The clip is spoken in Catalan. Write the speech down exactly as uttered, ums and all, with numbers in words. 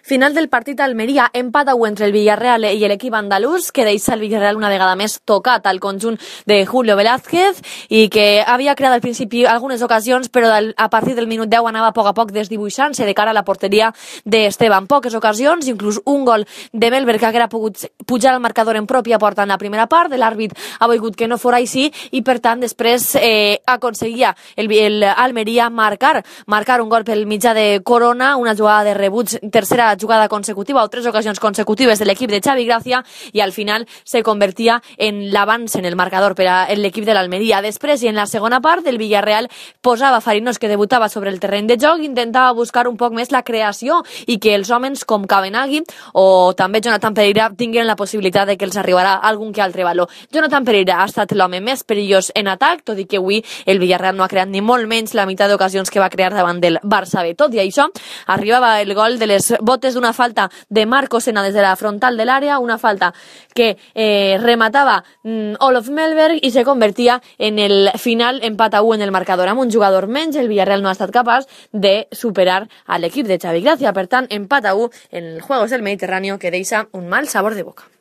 Final del partit a Almeria, empat a u entre el Villarreal i l'equip andalús, que deixa el Villarreal una vegada més tocat al conjunt de Julio Velázquez i que havia creat al principi algunes ocasions, però a partir del minut deu anava a poc a poc desdibuixant-se de cara a la porteria d'Esteban. Poques ocasions, inclús un gol de Melber que haguera pogut pujar al marcador en pròpia porta en la primera part. L'àrbit ha volgut que no fora així i, per tant, després eh, aconseguia el, el Almeria marcar, marcar un gol pel mitjà de Corona, una jugada de rebuig, tercera jugada consecutiva o tres ocasions consecutives de l'equip de Xavi Gracia, i al final se convertia en l'avance en el marcador per a l'equip de l'Almeria. Després, i en la segona part, el Villarreal posava Fariñós, que debutava sobre el terreny de joc, intentava buscar un poc més la creació i que els homes com Cabenagui o també Jonathan Pereira tinguin la possibilitat de que els arribarà algun que altre valor. Jonathan Pereira ha estat l'home més perillós en atac, tot i que avui el Villarreal no ha creat ni molt menys la meitat d'ocasions que va crear davant del Barça B. Tot i això, arribava el gol de les botes d'una falta de Marco Sena des de la frontal de l'àrea, una falta que eh, rematava mm, Olof Mellberg i se convertia en el final empat a u en el marcador. Amb un jugador menys, el Villarreal no ha estat capaç de superar a l'equip de Xavi Gracia. Per tant, empat a u en els Juegos del Mediterráneo, que deixa un mal sabor de boca.